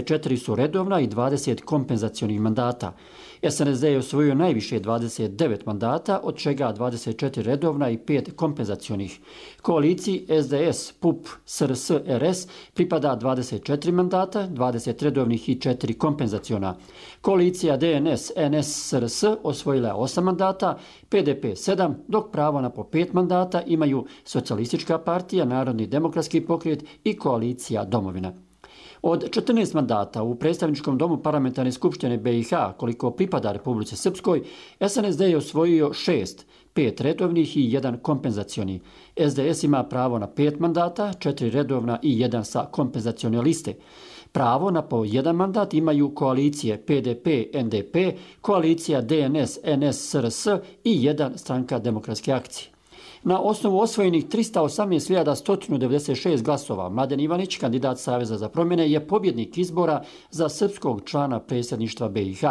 4 su redovna i 20 kompenzacionih mandata. SNSD je osvojio najviše 29 mandata, od čega 24 redovna i 5 kompenzacionih. Koaliciji SDS, PUP, SRS, RS pripada 24 mandata, 20 redovnih i 4 kompenzaciona. Koalicija DNS, NS, SRS osvojila je 8 mandata, PDP 7, dok pravo na po 5 mandata imaju Socijalistička partija, Narodni demokratski pokret i koalicija Domovina. Od 14 mandata u predstavničkom domu parlamentarne skupštine BiH, koliko pripada Republici Srpskoj, SNSD je osvojio 6, 5 redovnih i 1 kompenzacioni. SDS ima pravo na 5 mandata, 4 redovna i 1 sa kompenzacione liste. Pravo na po 1 mandat imaju koalicije PDP, NDP, koalicija DNS, NS, SRS i 1 stranka demokratske akcije. Na osnovu osvojenih 318.196 glasova, Mladen Ivanić, kandidat Saveza za promjene, je pobjednik izbora za srpskog člana predsjedništva BiH.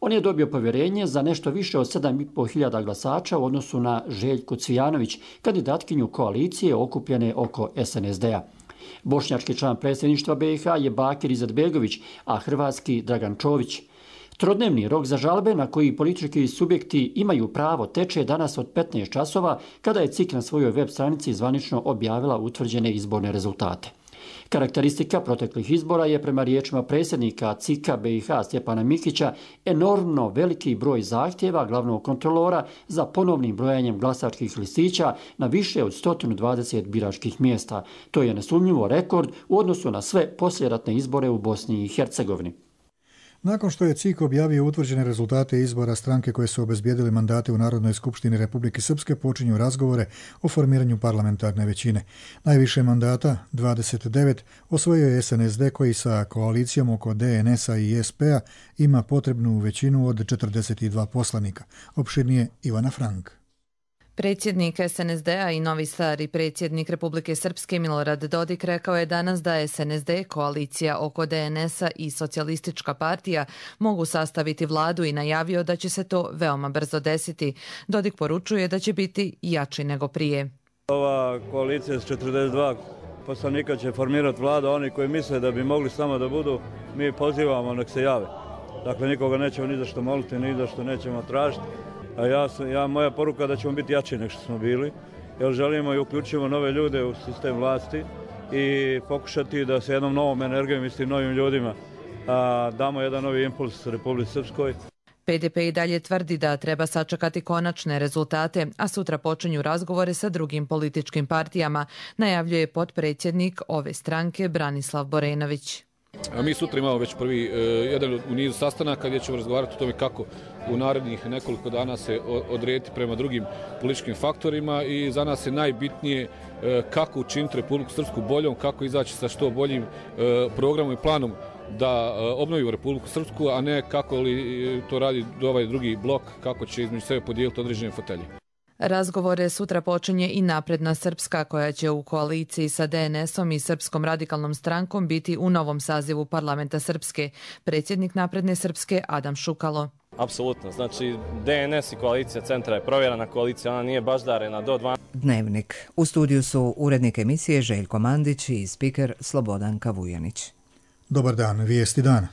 On je dobio povjerenje za nešto više od 7.500 glasača u odnosu na Željku Cvijanović, kandidatkinju koalicije okupljene oko SNSD-a. Bošnjački član predsjedništva BiH je Bakir Izetbegović, a hrvatski Dragan Čović. Trodnevni rok za žalbe na koji politički subjekti imaju pravo teče danas od 15 časova kada je CIK na svojoj web stranici zvanično objavila utvrđene izborne rezultate. Karakteristika proteklih izbora je prema riječima predsjednika CIK-a BiH Stjepana Mikića enormno veliki broj zahtjeva glavnog kontrolora za ponovnim brojanjem glasačkih listića na više od 120 biračkih mjesta. To je nesumnjivo rekord u odnosu na sve poslijeratne izbore u Bosni i Hercegovini. Nakon što je CIK objavio utvrđene rezultate izbora, stranke koje su obezbijedile mandate u Narodnoj skupštini Republike Srpske počinju razgovore o formiranju parlamentarne većine. Najviše mandata, 29, osvojio je SNSD koji sa koalicijom oko DNS-a i SP-a ima potrebnu većinu od 42 poslanika. Opširnije Ivana Frank. Predsjednik SNSD-a i novi stari predsjednik Republike Srpske Milorad Dodik rekao je danas da SNSD, koalicija oko DNS-a i Socijalistička partija mogu sastaviti vladu i najavio da će se to veoma brzo desiti. Dodik poručuje da će biti jači nego prije. Ova koalicija s 42 poslanika će formirati vladu, oni koji misle da bi mogli samo da budu, mi pozivamo nek se jave. Dakle, nikoga nećemo ni za što moliti, ni za što nećemo tražiti. A moja poruka da ćemo biti jači nego što smo bili, jer želimo i uključimo nove ljude u sistem vlasti i pokušati da se jednom novom energijom i s tim novim ljudima damo jedan novi impuls Republici Srpskoj. PDP i dalje tvrdi da treba sačekati konačne rezultate, a sutra počinju razgovore sa drugim političkim partijama, najavljuje potpredsjednik ove stranke Branislav Borenović. Mi sutra imamo već prvi jedan u nizu sastanaka gdje ćemo razgovarati o tome kako u narednih nekoliko dana se odrediti prema drugim političkim faktorima i za nas je najbitnije kako učiniti Republiku Srpsku boljom, kako izaći sa što boljim programom i planom da obnovimo Republiku Srpsku, a ne kako li to radi ovaj drugi blok, kako će između sebe podijeliti određene fotelje. Razgovore sutra počinje i Napredna Srpska, koja će u koaliciji sa DNS-om i Srpskom radikalnom strankom biti u novom sazivu parlamenta Srpske. Predsjednik Napredne Srpske Adam Šukalo. Apsolutno. Znači, DNS i koalicija centra je provjerena koalicija, ona nije baždarena do 12. Dnevnik. U studiju su urednik emisije Željko Mandić i spiker Slobodan Kavujanić. Dobar dan, vijesti dana.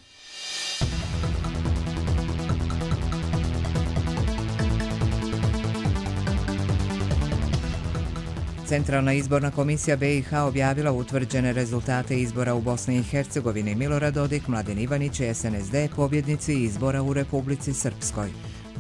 Centralna izborna komisija BiH objavila utvrđene rezultate izbora u Bosni i Hercegovini. Milorad Dodik, Mladen Ivanić i SNSD pobjednici izbora u Republici Srpskoj.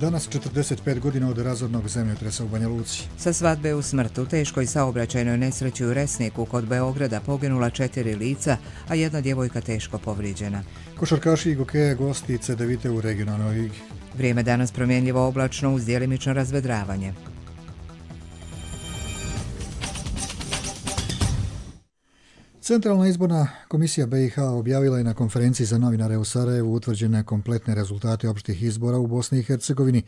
Danas 45 godina od razornog zemljotresa u Banja Luci. Sa svadbe u smrt u teškoj saobraćajnoj nesreći u Resniku kod Beograda poginula 4 lica, a jedna djevojka teško povrijeđena. Košarkaši Gokeja gosti Cedevite u regionalnoj ligi. Vrijeme danas promjenljivo oblačno uz djelimično razvedravanje. Centralna izborna komisija BiH objavila je na konferenciji za novinare u Sarajevu utvrđene kompletne rezultate opštih izbora u Bosni i Hercegovini,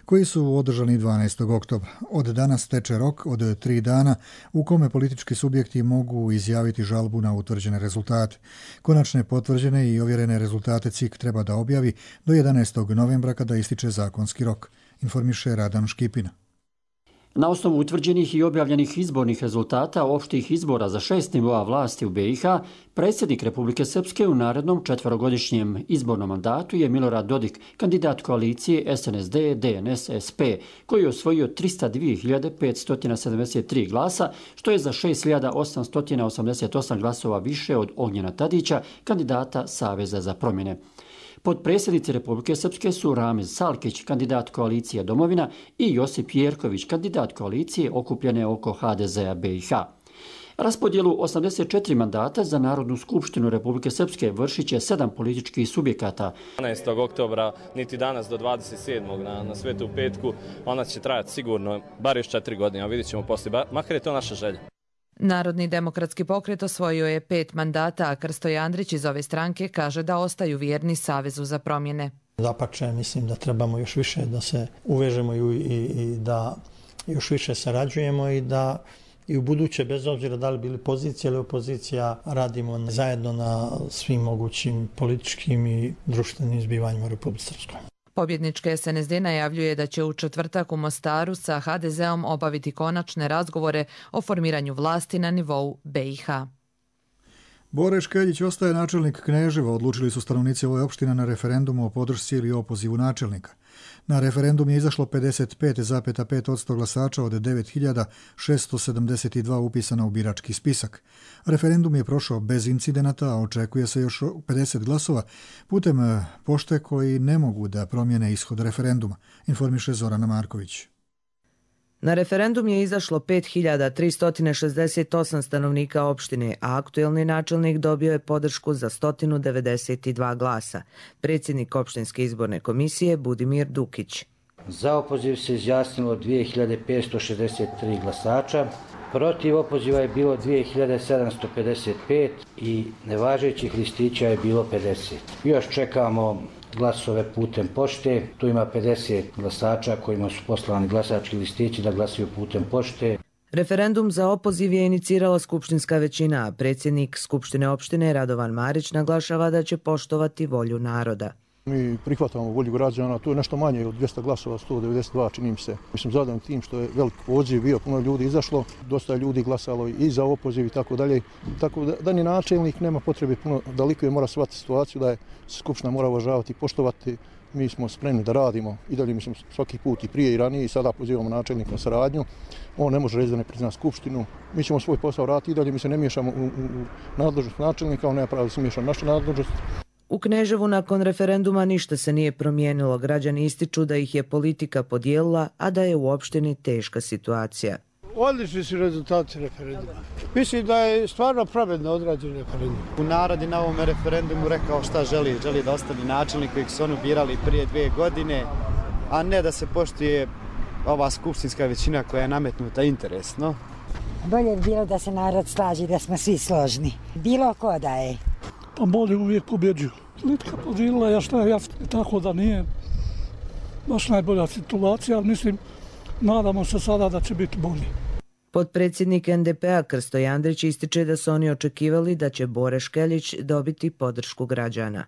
koji su održani 12. oktobra. Od danas teče rok od 3 dana u kome politički subjekti mogu izjaviti žalbu na utvrđene rezultate. Konačne potvrđene i ovjerene rezultate CIK treba da objavi do 11. novembra kada ističe zakonski rok, informiše Radan Škipina. Na osnovu utvrđenih i objavljenih izbornih rezultata opštih izbora za 6 nivoa vlasti u BiH, predsjednik Republike Srpske u narednom 4-godišnjem izbornom mandatu je Milorad Dodik, kandidat koalicije SNSD, DNS, SP, koji je osvojio 302.573 glasa, što je za 6.888 glasova više od Ognjena Tadića, kandidata Saveza za promjene. Potpredsjednici Republike Srpske su Ramez Salkić, kandidat koalicije Domovina, i Josip Jerković, kandidat koalicije okupljene oko HDZ-a BiH. Raspodjelu 84 mandata za Narodnu skupštinu Republike Srpske vršit će 7 političkih subjekata. 12. oktobra, niti danas do 27. na Svetu petku, ona će trajati sigurno bar još 4 godine, a vidjet ćemo poslije, makar je to naša želja. Narodni demokratski pokret osvojio je 5 mandata, a Krsto Andrić iz ove stranke kaže da ostaju vjerni Savezu za promjene. Dapače, mislim da trebamo još više da se uvežemo i da još više sarađujemo i da i u buduće, bez obzira da li bili pozicija ili opozicija, radimo zajedno na svim mogućim političkim i društvenim zbivanjima u Republici Srpskoj. Pobjednička SNSD najavljuje da će u četvrtak u Mostaru sa HDZ-om obaviti konačne razgovore o formiranju vlasti na nivou BiH. Bore Škeljić ostaje načelnik Kneževa, odlučili su stanovnici ove opštine na referendumu o podršci ili opozivu načelnika. Na referendum je izašlo 55,5% glasača od 9.672 upisana u birački spisak. Referendum je prošao bez incidenata, a očekuje se još 50 glasova putem pošte koji ne mogu da promijene ishod referenduma, informiše Zorana Marković. Na referendum je izašlo 5.368 stanovnika opštine, a aktuelni načelnik dobio je podršku za 192 glasa. Predsjednik opštinske izborne komisije Budimir Dukić. Za opoziv se izjasnilo 2.563 glasača, protiv opoziva je bilo 2.755 i nevažećih listića je bilo 50. Još čekamo glasove putem pošte, tu ima 50 glasača kojima su poslani glasački listići da glasuju putem pošte. Referendum za opoziv je inicirala skupštinska većina, a predsjednik Skupštine opštine Radovan Marić naglašava da će poštovati volju naroda. Mi prihvatamo volju građana, to je nešto manje od 200 glasova, 192 čini mi se. Mislim zadovoljni tim što je velik odziv bio, puno ljudi izašlo, dosta ljudi glasalo i za opoziv i tako dalje. Tako da ni načelnik nema potrebe puno da likuje, mora shvatiti situaciju da je Skupština mora uvažavati i poštovati. Mi smo spremni da radimo i dalje, mislim, svaki put i prije i ranije i sada pozivamo načelnika na saradnju. On ne može reći da ne prizna Skupštinu. Mi ćemo svoj posao raditi i dalje, mi se ne miješamo u nadležnost načelnika, on nema pravo da se miješa naša nadležnost. U Kneževu nakon referenduma ništa se nije promijenilo. Građani ističu da ih je politika podijelila, a da je u opštini teška situacija. Odlični su rezultati referenduma. Mislim da je stvarno pravedno odrađen referendum. Narod je na ovom referendumu rekao šta želi. Želi da ostane načelnik kojeg su oni birali prije 2 godine, a ne da se poštuje ova skupštinska većina koja je nametnuta interesno. Bolje bi bilo da se narod slaži, da smo svi složni. Bilo ko da je. Pa bolje uvijek pobjeđuju. Litka podijelila je šta je tako da nije baš najbolja situacija, ali mislim, nadamo se sada da će biti bolje. Potpredsjednik NDP-a Krsto Andrić ističe da su oni očekivali da će Bore Škeljić dobiti podršku građana.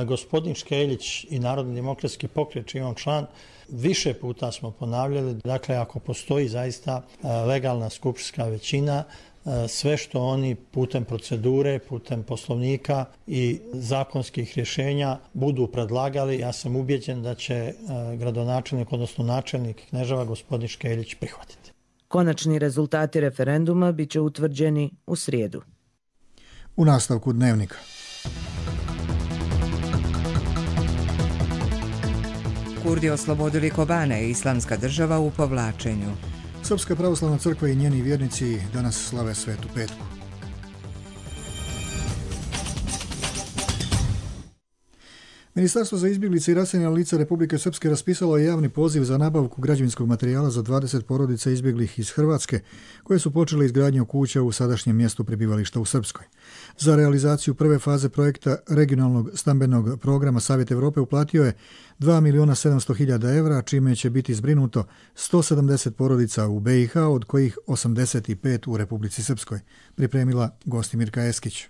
Gospodin Škeljić i Narodni demokratski pokret, čiji je on član, više puta smo ponavljali, dakle ako postoji zaista legalna skupštinska većina, sve što oni putem procedure, putem poslovnika i zakonskih rješenja budu predlagali, ja sam ubjeđen da će gradonačelnik, odnosno načelnik Kneževa, gospodin Škeljić, prihvatiti. Konačni rezultati referenduma bit će utvrđeni u srijedu. U nastavku dnevnika. Kurdi oslobodili Kobane, Islamska država u povlačenju. Srpska pravoslavna crkva i njeni vjernici danas slave Svetu petku. Ministarstvo za izbjeglice i raseljena lica Republike Srpske raspisalo je javni poziv za nabavku građevinskog materijala za 20 porodica izbjeglih iz Hrvatske, koje su počele izgradnju kuća u sadašnjem mjestu prebivališta u Srpskoj. Za realizaciju prve faze projekta regionalnog stambenog programa Savjet Evrope uplatio je 2.700.000 evra, čime će biti zbrinuto 170 porodica u BiH, od kojih 85 u Republici Srpskoj, pripremila Gostimirka Eskić.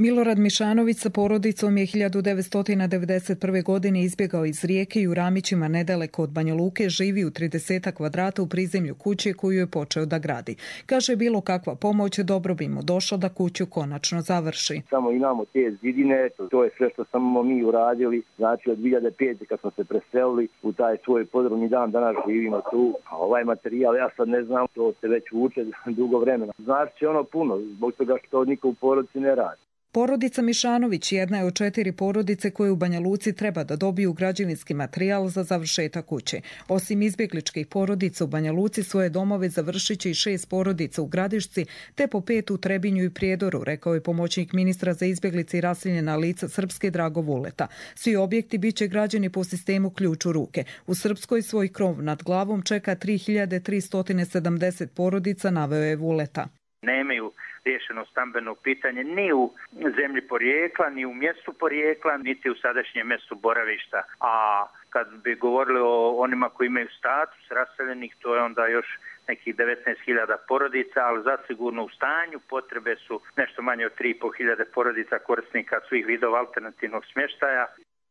Milorad Mišanović sa porodicom je 1991. godine izbjegao iz Rijeke i u Ramićima nedaleko od Banja Luke živi u 30 kvadrata u prizemlju kuće koju je počeo da gradi. Kaže, bilo kakva pomoć dobro bi mu došla da kuću konačno završi. Samo imamo te zidine, to je sve što smo mi uradili. Znači od 2005. kad smo se preselili u taj svoj podrum dan, danas živimo tu. A ovaj materijal, ja sad ne znam, to se već vuče dugo vremena. Znači ono puno, zbog toga što niko u porodici ne radi. Porodica Mišanović jedna je od 4 porodice koje u Banja Luci treba da dobiju građevinski materijal za završetak kuće. Osim izbjegličkih porodica u Banja Luci, svoje domove završit će i 6 porodica u Gradišci, te po 5 u Trebinju i Prijedoru, rekao je pomoćnik ministra za izbjeglice i raseljena lica Srpske Drago Vuleta. Svi objekti bit će građeni po sistemu ključ u ruke. U Srpskoj svoj krov nad glavom čeka 3370 porodica, naveo je Vuleta. Nemaju riješeno stambeno pitanje ni u zemlji porijekla, ni u mjestu porijekla, niti u sadašnjem mjestu boravišta. A kad bi govorili o onima koji imaju status raseljenih, to je onda još nekih 19.000 porodica, ali zasigurno u stanju potrebe su nešto manje od 3.500 porodica korisnika svih vidova alternativnog smještaja.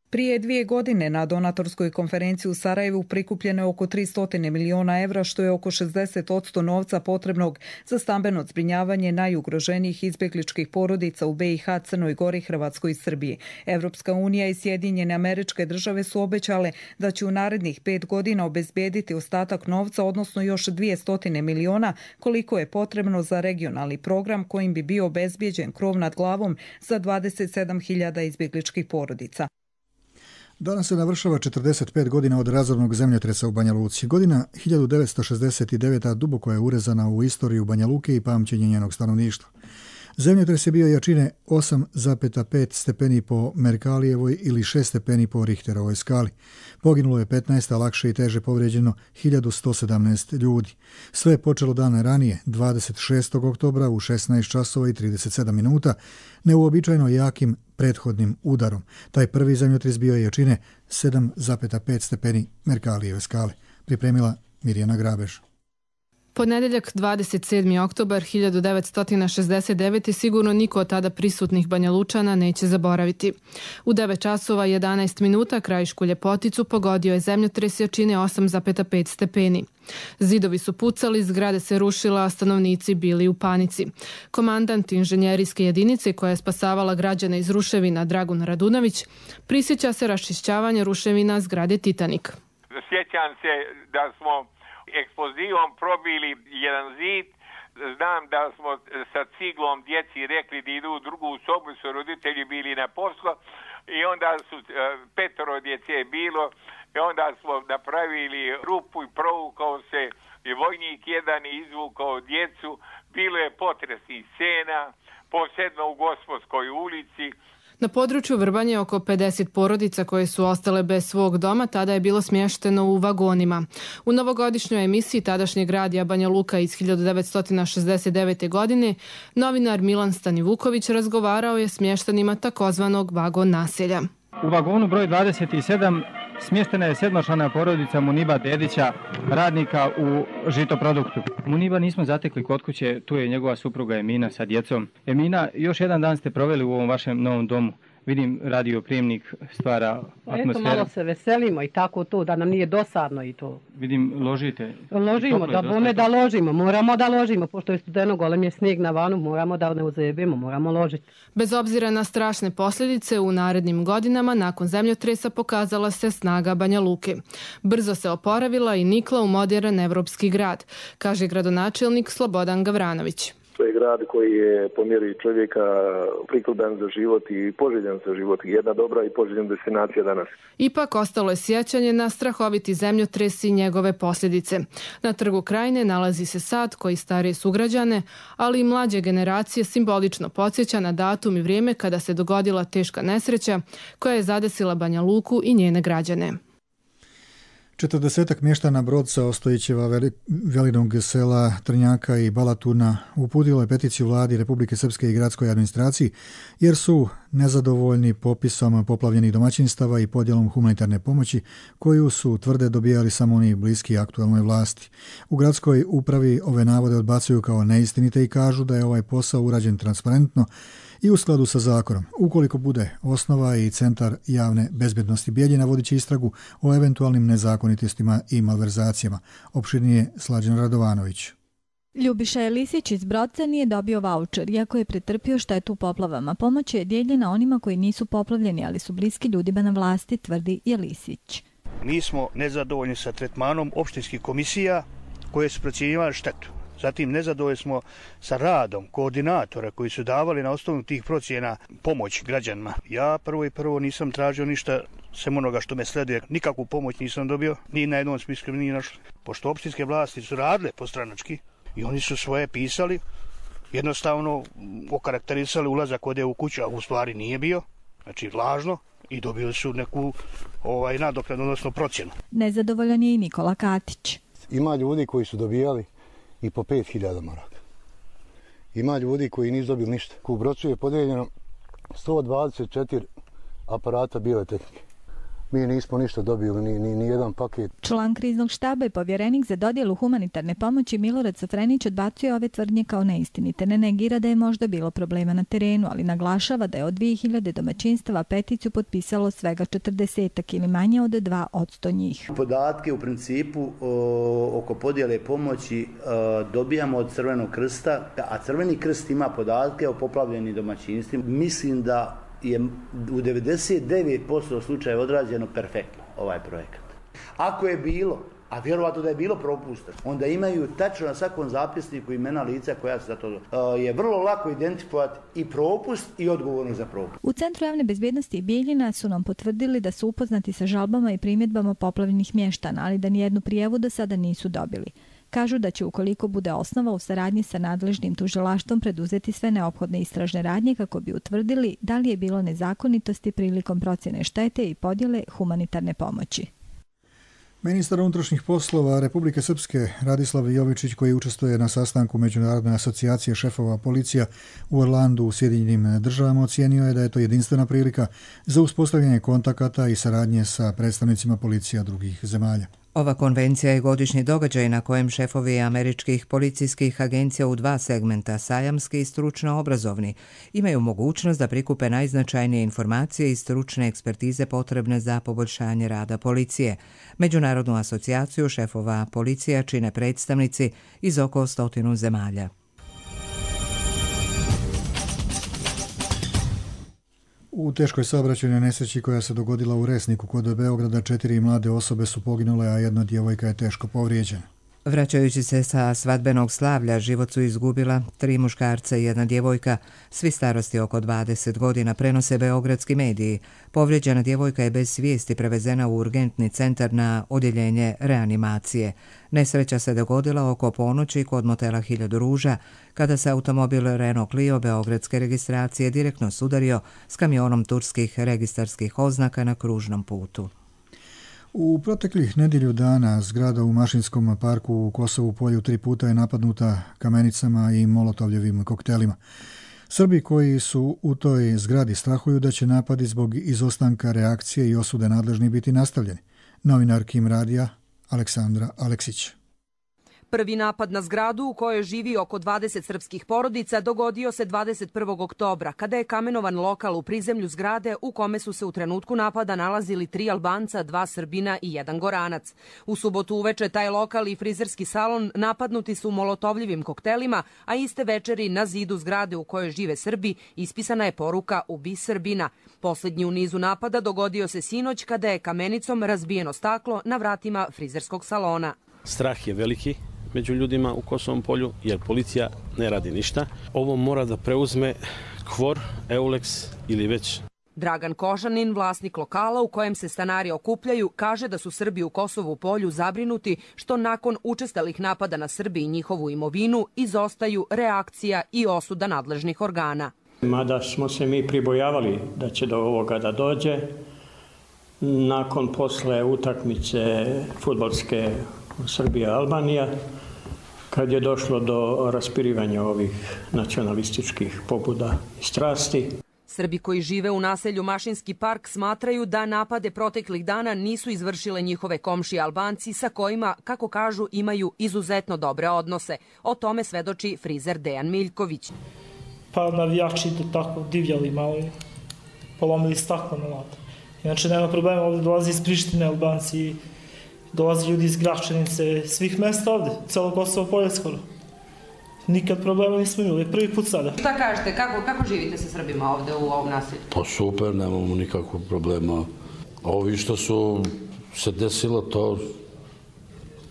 Prije 2 godine na donatorskoj konferenciji u Sarajevu prikupljeno je oko 300 miliona evra, što je oko 60% novca potrebnog za stambeno zbrinjavanje najugroženijih izbjegličkih porodica u BiH, Crnoj Gori, Hrvatskoj i Srbiji. Evropska unija i Sjedinjene Američke Države su obećale da će u narednih 5 godina obezbediti ostatak novca, odnosno još 200 miliona, koliko je potrebno za regionalni program kojim bi bio obezbijeđen krov nad glavom za 27.000 izbjegličkih porodica. Danas se navršava 45 godina od razornog zemljotresa u Banja Luci. Godina 1969. duboko je urezana u istoriju Banja Luke i pamćenje njenog stanovništva. Zemljotres je bio jačine 8,5 stepeni po Merkalijevoj ili 6 stepeni po Richterovoj skali. Poginulo je 15, a lakše i teže povrijeđeno 1117 ljudi. Sve je počelo dana ranije, 26. oktobra u 16 časova i 37 minuta, neuobičajeno jakim prethodnim udarom. Taj prvi zemljotres bio je jačine 7,5 stepeni Merkalijeve skale. Pripremila Mirjana Grabež. Ponedjeljak 27. oktobar 1969. sigurno niko od tada prisutnih Banja Lučana neće zaboraviti. U 9 časova 11 minuta krajišku Ljepoticu pogodio je zemljotres jačine 8,5 stepeni. Zidovi su pucali, zgrade se rušila, a stanovnici bili u panici. Komandant inženjerijske jedinice koja je spasavala građane iz ruševina Dragun Radunović prisjeća se raščišćavanja ruševina zgrade Titanik. Sjećam se da smo eksplozivom probili jedan zid. Znam da smo sa ciglom djeci rekli da idu u drugu sobu, su roditelji bili na poslu i onda su 5 djece bilo i onda smo napravili rupu i provukao se i vojnik jedan izvukao djecu. Bilo je potresnih scena, posebno u Gospodskoj ulici. Na području Vrbanje oko 50 porodica koje su ostale bez svog doma tada je bilo smješteno u vagonima. U novogodišnjoj emisiji tadašnjeg radija Banja Luka iz 1969. godine novinar Milan Stanivuković razgovarao je s mještanima takozvanog vagon naselja. U vagonu broj 27 smještena je 7-člana porodica Muniba Dedića, radnika u žitoproduktu. Muniba nismo zatekli kod kuće, tu je njegova supruga Emina sa djecom. Emina, još jedan dan ste proveli u ovom vašem novom domu. Vidim, radioprijemnik stvara atmosferu. Eto, malo se veselimo i tako to, da nam nije dosadno i to. Vidim, ložite. Ložimo, da bome da ložimo, moramo da ložimo, pošto je studeno, golem je snijeg na vanu, moramo da ne uzebimo, moramo ložiti. Bez obzira na strašne posljedice, u narednim godinama, nakon zemljotresa, pokazala se snaga Banja Luke. Brzo se oporavila i nikla u modern evropski grad, kaže gradonačelnik Slobodan Gavranović. To je grad koji je po mjeri čovjeka prikladan za život i poželjan za život. Jedna dobra i poželjena destinacija danas. Ipak ostalo je sjećanje na strahoviti zemljotres i njegove posljedice. Na Trgu Krajine nalazi se sad koji starije sugrađane, ali i mlađe generacije simbolično podsjeća na datum i vrijeme kada se dogodila teška nesreća koja je zadesila Banja Luku i njene građane. 40 mještana Brodca, Ostojićeva, Velinog sela, Trnjaka i Balatuna uputilo je peticiju vladi Republike Srpske i gradskoj administraciji jer su nezadovoljni popisom poplavljenih domaćinstava i podjelom humanitarne pomoći koju su tvrde dobijali samo oni bliski aktualnoj vlasti. U gradskoj upravi ove navode odbacuju kao neistinite i kažu da je ovaj posao urađen transparentno i u skladu sa zakonom. Ukoliko bude osnova i Centar javne bezbednosti Bijeljina vodit će istragu o eventualnim nezakonitostima i malverzacijama. Opširnije Slađan Radovanović. Ljubiša Jelisić iz Brodca nije dobio vaučer, iako je pretrpio štetu u poplavama. Pomoć je dijeljena onima koji nisu poplavljeni, ali su bliski ljudima na vlasti, tvrdi Jelisić. Mi smo nezadovoljni sa tretmanom opštinskih komisija koje su procjenjivale štetu. Zatim nezadovoljni smo sa radom koordinatora koji su davali na osnovu tih procjena pomoć građanima. Ja prvo nisam tražio ništa, sem onoga što me sleduje. Nikakvu pomoć nisam dobio, ni na jednom spisku nije našlo. Pošto opštinske vlasti su radile postranački i oni su svoje pisali, jednostavno okarakterisali ulazak ovdje u kuću, a u stvari nije bio, znači lažno, i dobili su neku nadoknadu, odnosno procjenu. Nezadovoljan je i Nikola Katić. Ima ljudi koji su dobijali i po 5.000 maraka. Ima ljudi koji nisu dobili ništa. U Brocu je podijeljeno 124 aparata bijele tehnike. Mi nismo ništa dobili, ni jedan paket. Član kriznog štaba i povjerenik za dodjelu humanitarne pomoći Milorad Safrenić odbacuje ove tvrdnje kao neistinite. Ne negira da je možda bilo problema na terenu, ali naglašava da je od 2000 domaćinstava peticiju potpisalo svega 40 ili manje od 2% njih. Podatke u principu oko podjele pomoći dobijamo od Crvenog krsta, a Crveni krst ima podatke o poplavljenim domaćinstvima. Mislim da je u 99% slučajeva odrađeno perfektno ovaj projekat. Ako je bilo, a vjerovatno da je bilo propusta, onda imaju tačno na svakom zapisniku imena lica koja su za to. Je vrlo lako identifikovati i propust i odgovornost za propust. U Centru javne bezbednosti Bijeljina su nam potvrdili da su upoznati sa žalbama i primjedbama poplavljenih mještana, ali da nijednu prijavu do sada nisu dobili. Kažu da će, ukoliko bude osnova, u saradnji sa nadležnim tužilaštvom preduzeti sve neophodne istražne radnje kako bi utvrdili da li je bilo nezakonitosti prilikom procjene štete i podjele humanitarne pomoći. Ministar unutrašnjih poslova Republike Srpske Radislav Jovičić, koji učestvuje na sastanku Međunarodne asocijacije šefova policija u Orlandu u Sjedinjenim Državama, ocijenio je da je to jedinstvena prilika za uspostavljanje kontakata i saradnje sa predstavnicima policija drugih zemalja. Ova konvencija je godišnji događaj na kojem šefovi američkih policijskih agencija u dva segmenta, sajamski i stručno-obrazovni, imaju mogućnost da prikupe najznačajnije informacije i stručne ekspertize potrebne za poboljšanje rada policije. Međunarodnu asocijaciju šefova policija čine predstavnici iz oko 100 zemalja. U teškoj saobraćajnoj nesreći koja se dogodila u Resniku kod Beograda 4 mlade osobe su poginule, a jedna djevojka je teško povrijeđena. Vraćajući se sa svadbenog slavlja, život su izgubila 3 muškarca i jedna djevojka, svi starosti oko 20 godina, prenose beogradski mediji. Povrijeđena djevojka je bez svijesti prevezena u urgentni centar na odjeljenje reanimacije. Nesreća se dogodila oko ponoći kod motela 1000 ruža, kada se automobil Renault Clio beogradske registracije direktno sudario s kamionom turskih registarskih oznaka na kružnom putu. U proteklih nedjelju dana zgrada u Mašinskom parku u Kosovu Polju 3 puta je napadnuta kamenicama i molotovljevim koktelima. Srbi koji su u toj zgradi strahuju da će napadi zbog izostanka reakcije i osude nadležni biti nastavljeni. Novinar Kim Radija, Aleksandra Aleksić. Prvi napad na zgradu u kojoj živi oko 20 srpskih porodica dogodio se 21. oktobra, kada je kamenovan lokal u prizemlju zgrade u kome su se u trenutku napada nalazili 3 Albanca, 2 Srbina i 1 Goranac. U subotu uveče taj lokal i frizerski salon napadnuti su molotovljivim koktelima, a iste večeri na zidu zgrade u kojoj žive Srbi ispisana je poruka "Ubi Srbina". Posljednji u nizu napada dogodio se sinoć kada je kamenicom razbijeno staklo na vratima frizerskog salona. Strah je veliki među ljudima u Kosovom Polju, jer policija ne radi ništa. Ovo mora da preuzme KFOR, EULEX ili već. Dragan Kožanin, vlasnik lokala u kojem se stanari okupljaju, kaže da su Srbi u Kosovu Polju zabrinuti što nakon učestalih napada na Srbi i njihovu imovinu izostaju reakcija i osuda nadležnih organa. Mada smo se mi pribojavali da će do ovoga da dođe, nakon posle utakmice fudbalske Srbija-Albanija, kad je došlo do raspirivanja ovih nacionalističkih pobuda i strasti. Srbi koji žive u naselju Mašinski park smatraju da napade proteklih dana nisu izvršile njihove komšije Albanci sa kojima, kako kažu, imaju izuzetno dobre odnose. O tome svedoči frizer Dejan Miljković. pa navijači to tako divljali malo i polomili staklo na lata. Inače, nema problema, ovdje dolazi iz Prištine, Albanci, dolazi ljudi iz Gračanice, svih mesta ovdje, celo Kosovo polje skoro. Nikad problema nismo imali, prvi put sada. Šta kažete, kako živite sa Srbima ovdje u ovom naselju? Pa super, nemamo nikakvog problema. Ovi što su se desilo,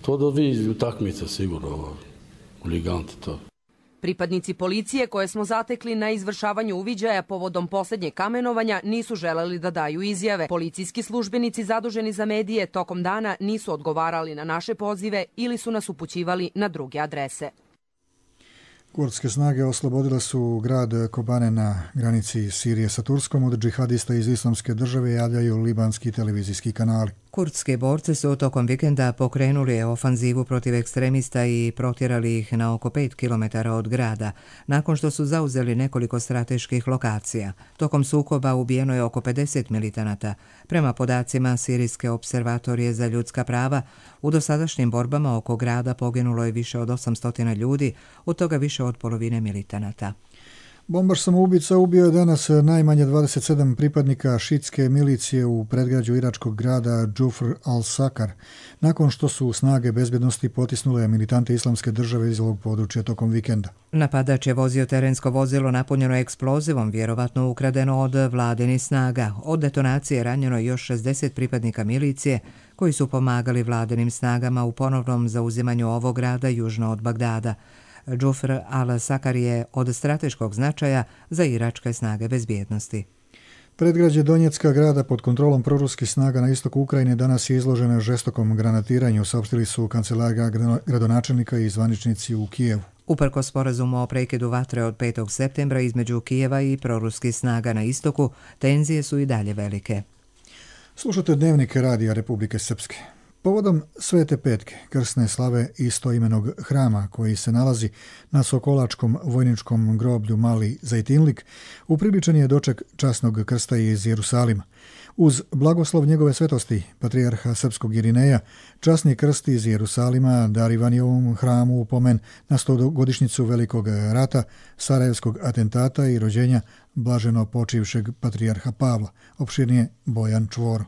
to da vi utakmice sigurno, huliganti to. Pripadnici policije koje smo zatekli na izvršavanju uviđaja povodom posljednjeg kamenovanja nisu želeli da daju izjave. Policijski službenici zaduženi za medije tokom dana nisu odgovarali na naše pozive ili su nas upućivali na druge adrese. Kurdske snage oslobodile su grad Kobane na granici Sirije sa Turskom od džihadista iz Islamske države, javljaju libanski televizijski kanali. Kurdski borci su tokom vikenda pokrenuli ofanzivu protiv ekstremista i protjerali ih na oko 5 km od grada, nakon što su zauzeli nekoliko strateških lokacija. Tokom sukoba ubijeno je oko 50 militanata. Prema podacima Sirijske observatorije za ljudska prava, u dosadašnjim borbama oko grada poginulo je više od 800 ljudi, od toga više od polovine militanata. Bombaš samoubica ubio je danas najmanje 27 pripadnika šitske milicije u predgrađu iračkog grada Džufr al-Sakar, nakon što su snage bezbjednosti potisnule militante Islamske države iz ovog područja tokom vikenda. Napadač je vozio terensko vozilo napunjeno eksplozivom, vjerovatno ukradeno od vladinih snaga. Od detonacije ranjeno još 60 pripadnika milicije koji su pomagali vladinim snagama u ponovnom zauzimanju ovog grada južno od Bagdada. Džufr al-Sakar je od strateškog značaja za iračke snage bezbjednosti. Predgrađe Donjecka grada pod kontrolom proruskih snaga na istoku Ukrajine danas je izloženo žestokom granatiranju, saopštili su kancelarija gradonačelnika i zvaničnici u Kijevu. Uprkos sporazumu o prekidu vatre od 5. septembra između Kijeva i proruskih snaga na istoku, tenzije su i dalje velike. Slušate Dnevnik Radija Republike Srpske. Povodom Svete Petke, krsne slave istoimenog hrama koji se nalazi na Sokolačkom vojničkom groblju Mali Zajtinlik, upriličen je doček časnog krsta iz Jerusalima. Uz blagoslov njegove svetosti, patrijarha srpskog Irineja, časni krst iz Jerusalima darivan je ovom hramu u pomen na 100-godišnjicu Velikog rata, Sarajevskog atentata i rođenja blaženo počivšeg patrijarha Pavla, opširnije Bojan Čvoro.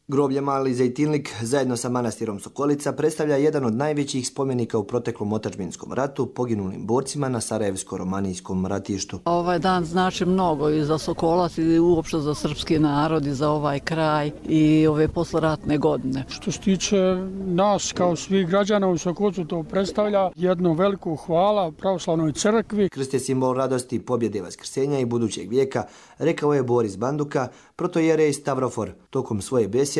Groblje Mali Zajtinlik zajedno sa manastirom Sokolica predstavlja jedan od najvećih spomenika u proteklom otadžbinskom ratu poginulim borcima na Sarajevsko-romanijskom ratištu. Ovaj dan znači mnogo i za Sokolac i uopšte za srpski narod i za ovaj kraj i ove posleratne godine. Što se tiče nas kao svih građana u Sokolcu, to predstavlja jednu veliku hvala pravoslavnoj crkvi. Krst je simbol radosti, pobjede, vaskrsenja i budućeg vijeka, rekao je Boris Banduka, protojerej Stavrofor, tokom svoje besjede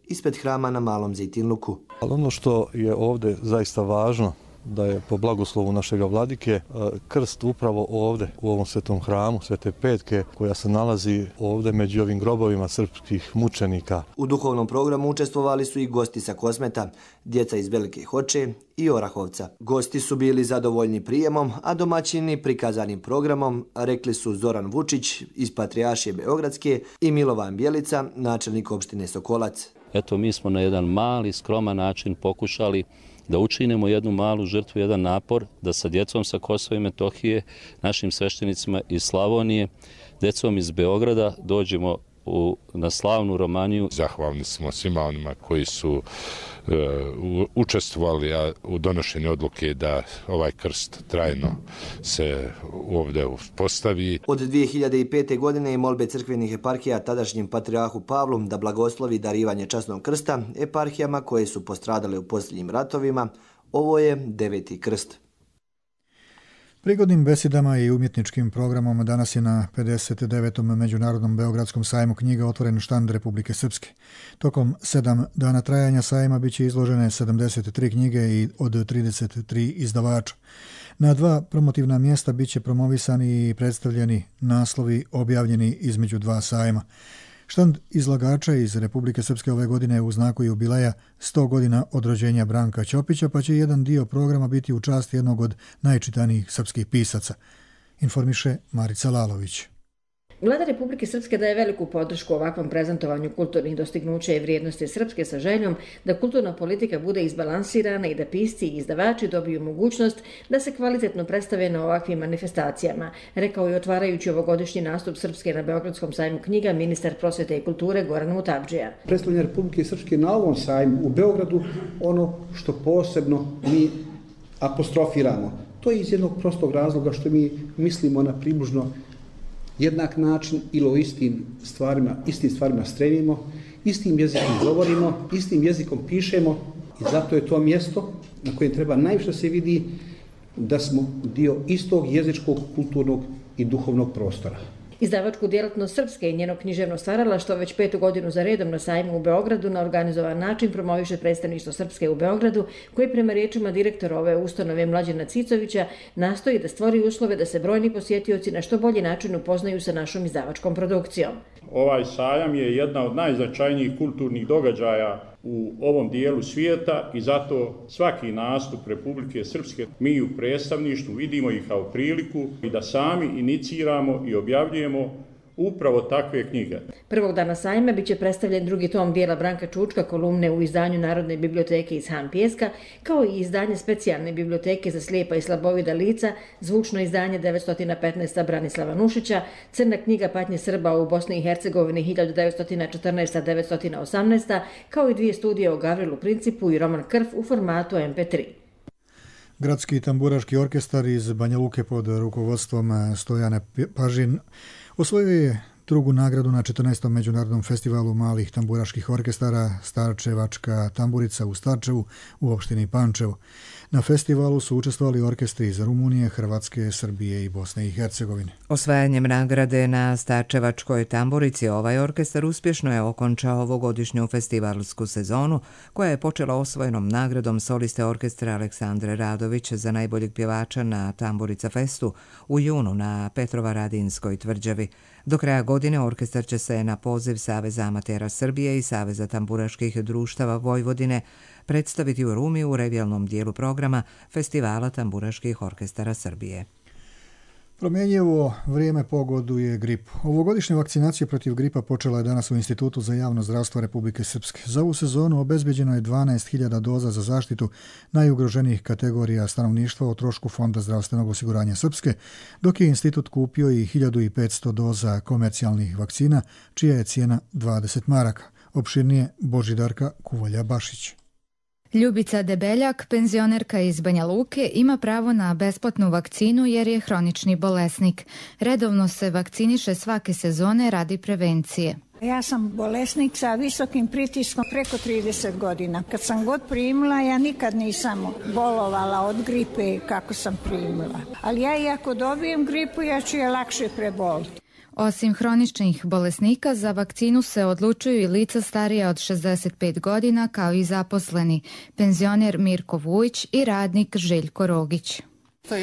ispred hrama na Malom Zajtinluku. Ali ono što je ovdje zaista važno, da je po blagoslovu našega vladike krst upravo ovdje u ovom svetom hramu Svete Petke koja se nalazi ovdje među ovim grobovima srpskih mučenika. U duhovnom programu učestvovali su i gosti sa Kosmeta, djeca iz Velike Hoče i Orahovca. Gosti su bili zadovoljni prijemom, a domaćini prikazanim programom, rekli su Zoran Vučić iz Patrijaršije Beogradske i Milovan Bjelica, načelnik opštine Sokolac. Eto, mi smo na jedan mali, skroman način pokušali da učinimo jednu malu žrtvu, jedan napor, da sa djecom sa Kosova i Metohije, našim sveštenicima iz Slavonije, djecom iz Beograda dođemo na slavnu Romaniju. Zahvalni smo svima onima koji su učestvovali u donošenju odluke da ovaj krst trajno se ovdje postavi. Od 2005. godine i molbe crkvenih eparhija tadašnjem patrijarhu Pavlu da blagoslovi darivanje časnog krsta eparhijama koje su postradale u posljednjim ratovima, ovo je 9. krst. Prigodnim besedama i umjetničkim programom danas je na 59. Međunarodnom Beogradskom sajmu knjiga otvoren štand Republike Srpske. Tokom 7 dana trajanja sajma biće izložene 73 knjige i od 33 izdavača. Na 2 promotivna mjesta biće promovisani i predstavljeni naslovi objavljeni između 2 sajma. Štand izlagača iz Republike Srpske ove godine u znaku jubileja 100 godina od rođenja Branka Ćopića, pa će jedan dio programa biti u čast jednog od najčitanijih srpskih pisaca, informiše Marica Lalović. Vlada Republike Srpske daje veliku podršku ovakvom prezentovanju kulturnih dostignuća i vrijednosti Srpske sa željom da kulturna politika bude izbalansirana i da pisci i izdavači dobiju mogućnost da se kvalitetno predstave na ovakvim manifestacijama, rekao je otvarajući ovogodišnji nastup Srpske na Beogradskom sajmu knjiga ministar prosvete i kulture Goran Mutavdžija. Predstavljanje Republike Srpske na ovom sajmu u Beogradu ono što posebno mi apostrofiramo. To je iz jednog prostog razloga što mi mislimo na približno jednak način ili o istim stvarima stremimo, istim jezikom govorimo, istim jezikom pišemo i zato je to mjesto na kojem treba najviše se vidi da smo dio istog jezičkog, kulturnog i duhovnog prostora. Izdavačku djelatnost Srpske i njeno književno stvaralaštvo već 5. godinu za redom na sajmu u Beogradu na organizovan način promoviše predstavništvo Srpske u Beogradu, koji prema riječima direktora ove ustanove Mlađana Cicovića nastoji da stvori uslove da se brojni posjetioci na što bolji način upoznaju sa našom izdavačkom produkcijom. Ovaj sajam je jedna od najznačajnijih kulturnih događaja u ovom dijelu svijeta i zato svaki nastup Republike Srpske mi u predstavništvu vidimo ih kao priliku i da sami iniciramo i objavljujemo upravo takve knjige. Prvog dana sajma biće predstavljen drugi tom dijela Branka Čučka, kolumne u izdanju Narodne biblioteke iz Han Pijeska, kao i izdanje specijalne biblioteke za slijepa i slabovida lica, zvučno izdanje 915. Branislava Nušića, crna knjiga Patnje Srba u Bosni i Hercegovini 1914-1918, kao i 2 studije o Gavrilu Principu i roman Krv u formatu MP3. Gradski tamburaški orkestar iz Banja Luke pod rukovodstvom Stojana Pažin osvojio je drugu nagradu na 14. međunarodnom festivalu malih tamburaških orkestara Starčevačka tamburica u Starčevu u opštini Pančevo. Na festivalu su učestvovali orkestri iz Rumunije, Hrvatske, Srbije i Bosne i Hercegovine. Osvajanjem nagrade na Starčevačkoj tamburici ovaj orkestar uspješno je okončao ovogodišnju festivalsku sezonu koja je počela osvojenom nagradom soliste orkestra Aleksandre Radović za najboljeg pjevača na Tamburica festu u junu na Petrovaradinskoj tvrđavi. Do kraja godine orkestar će se na poziv Saveza amatera Srbije i Saveza tamburaških društava Vojvodine predstaviti u Rumi u revijalnom dijelu programa Festivala tamburaških orkestara Srbije. Promjenjivo vrijeme pogoduje gripu. Ovogodišnja vakcinacija protiv gripa počela je danas u Institutu za javno zdravstvo Republike Srpske. Za ovu sezonu obezbeđeno je 12.000 doza za zaštitu najugroženijih kategorija stanovništva o trošku Fonda zdravstvenog osiguranja Srpske, dok je institut kupio i 1.500 doza komercijalnih vakcina, čija je cijena 20 maraka. Opširnije Božidarka Kuvolja-Bašić. Ljubica Debeljak, penzionerka iz Banja Luke, ima pravo na besplatnu vakcinu jer je hronični bolesnik. Redovno se vakciniše svake sezone radi prevencije. Ja sam bolesnik sa visokim pritiskom preko 30 godina. Kad sam god primila, ja nikad nisam bolovala od gripe kako sam primila. Ali ja i ako dobijem gripu, ja ću je lakše preboliti. Osim hroničnih bolesnika, za vakcinu se odlučuju i lica starija od 65 godina, kao i zaposleni, penzioner Mirko Vujić i radnik Željko Rogić.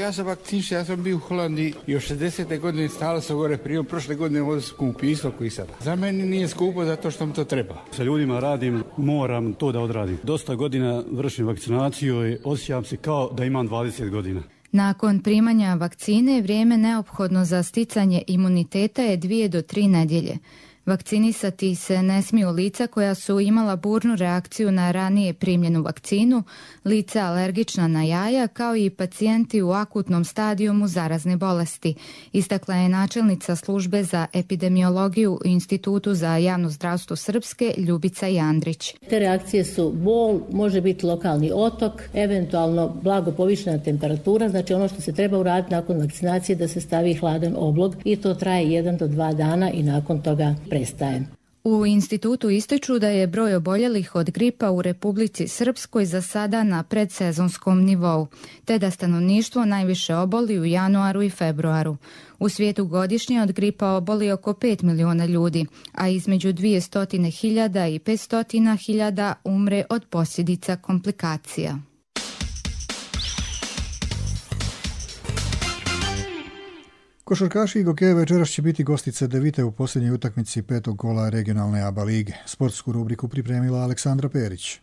Ja sam vakcinišen, ja sam bio u Holandiji i od 60. godine stalo sam gore prijom, prošle godine ovdje skupo isto koji sada. Za mene nije skupo zato što mi to treba. Sa ljudima radim, moram to da odradim. Dosta godina vršim vakcinaciju i osjećam se kao da imam 20 godina. Nakon primanja vakcine, vrijeme neophodno za sticanje imuniteta je 2 do 3 nedjelje. Vakcinisati se ne smiju lica koja su imala burnu reakciju na ranije primljenu vakcinu, lica alergična na jaja, kao i pacijenti u akutnom stadijumu zarazne bolesti, istakla je načelnica službe za epidemiologiju u Institutu za javno zdravstvo Srpske Ljubica Jandrić. Te reakcije su bol, može biti lokalni otok, eventualno blago povišena temperatura, znači ono što se treba uraditi nakon vakcinacije da se stavi hladan oblog i to traje 1 do 2 dana i nakon toga prestaje. U institutu ističu da je broj oboljelih od gripa u Republici Srpskoj za sada na predsezonskom nivou, te da stanovništvo najviše oboli u januaru i februaru. U svijetu godišnje od gripa oboli oko 5 miliona ljudi, a između 200.000 i 500.000 umre od posljedica komplikacija. Košarkaši i gokeje večeras će biti gosti Cedevite u posljednjoj utakmici 5. kola regionalne ABA lige. Sportsku rubriku pripremila Aleksandra Perić.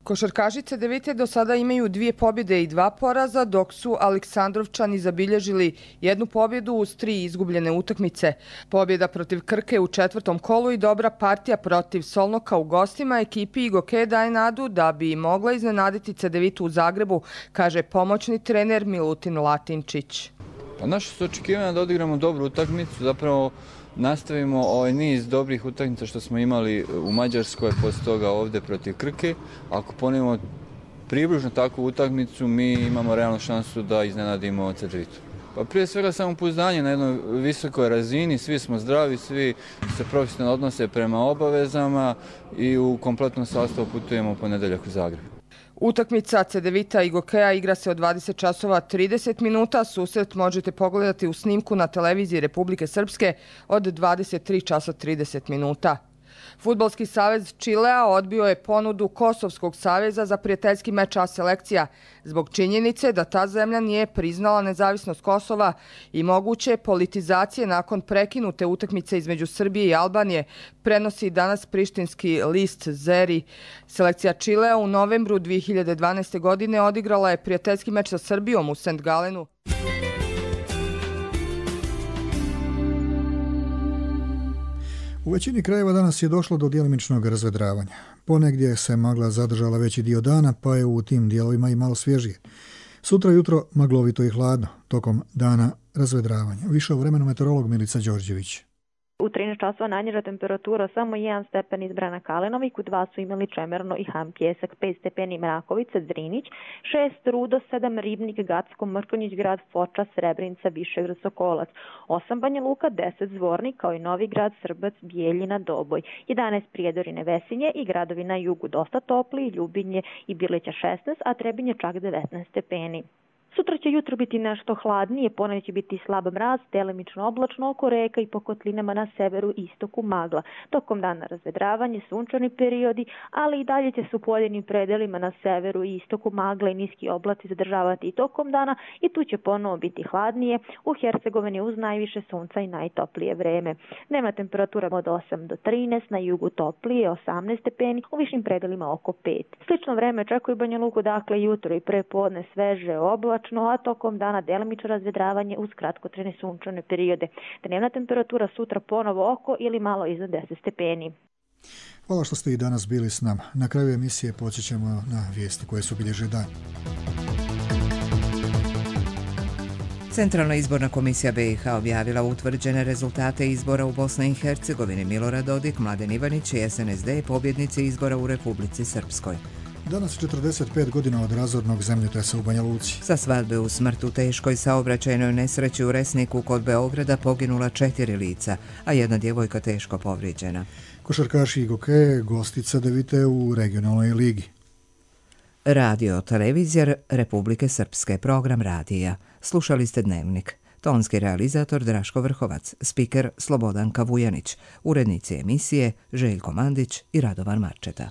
Košarkašice Cedevite do sada imaju 2 pobjede i 2 poraza, dok su Aleksandrovčani zabilježili 1 pobjedu uz 3 izgubljene utakmice. Pobjeda protiv Krke u 4. kolu i dobra partija protiv Solnoka u gostima ekipi Igoke daje nadu da bi mogla iznenaditi Cedevitu u Zagrebu, kaže pomoćni trener Milutin Latinčić. Naše su očekivanja da odigramo dobru utakmicu, zapravo nastavimo ovaj niz dobrih utakmica što smo imali u Mađarskoj, poslije toga ovdje protiv Krke. Ako ponovimo približno takvu utakmicu, mi imamo realnu šansu da iznenadimo Cedevitu. Pa prije svega samopouzdanje na jednoj visokoj razini, svi smo zdravi, svi se profesionalno odnose prema obavezama i u kompletnom sastavu putujemo u ponedjeljak u Zagreb. Utakmica Cedevita i Gokea igra se od 20 časova 30 minuta. Susret možete pogledati u snimku na televiziji Republike Srpske od 23 časa 30 minuta. Fudbalski savez Čilea odbio je ponudu Kosovskog saveza za prijateljski meč A selekcija zbog činjenice da ta zemlja nije priznala nezavisnost Kosova i moguće politizacije nakon prekinute utakmice između Srbije i Albanije, prenosi danas prištinski list Zeri. Selekcija Čilea u novembru 2012. godine odigrala je prijateljski meč sa Srbijom u St. Galenu. U većini krajeva danas je došlo do djelimičnog razvedravanja. Ponegdje se magla zadržala veći dio dana, pa je u tim dijelovima i malo svježije. Sutra jutro maglovito i hladno, tokom dana razvedravanja. Više o vremenu meteorolog Milica Đorđević. U 13 časova najniža temperatura samo 1 stepen izbrana Kalenovik, u 2 su imali Čemerno i Han Pjesak, 5 stepeni Mrakovica, Drinić, 6 Rudo, 7 Ribnik, Gacko, Mrkonjić grad, Foča, Srebrenica, Višegrad, Sokolac, 8 Banja Luka, 10 Zvornik, kao i Novi Grad, Srbac, Bijeljina, Doboj, 11 Prijedorine, Vesinje i gradovi na jugu dosta topli, Ljubinje i Bileća 16, a Trebinje čak 19 stepeni. Sutra će jutro biti nešto hladnije, ponedjeljak će biti slab mraz, delimično oblačno oko reka i po kotlinama na severu i istoku magla. Tokom dana razvedravanje, sunčani periodi, ali i dalje će se u pojedinim predelima na severu i istoku magla i niski oblaci zadržavati i tokom dana i tu će ponovo biti hladnije, u Hercegovini uz najviše sunca i najtoplije vreme. Dnevna temperatura od 8 do 13, na jugu toplije 18 stepeni, u višim predelima oko 5. Slično vreme čekuje Banja Luku, dakle jutro i prepodne sveže oblačno, a tokom dana delimično razvedravanje uz kratkotrajne sunčane periode. Dnevna temperatura sutra ponovo oko ili malo iznad 10 stepeni. Hvala što ste i danas bili s nama. Na kraju emisije podsjećamo na vijesti koje su obilježile dan. Centralna izborna komisija BiH objavila utvrđene rezultate izbora u Bosni i Hercegovini. Milorad Dodik, Mladen Ivanić i SNSD pobjednici izbora u Republici Srpskoj. Danas 45 godina od razornog zemljotresa u Banja Luci. Sa svadbe u smrt u teškoj saobraćajnoj nesreći u Resniku kod Beograda poginula 4 lica, a 1 djevojka teško povrijeđena. Košarkaši Igoke gosti Cedevite u regionalnoj ligi. Radio televizija Republike Srpske, program radija. Slušali ste Dnevnik. Tonski realizator Draško Vrhovac, spiker Slobodanka Vujanić, urednici emisije Željko Mandić i Radovan Marčeta.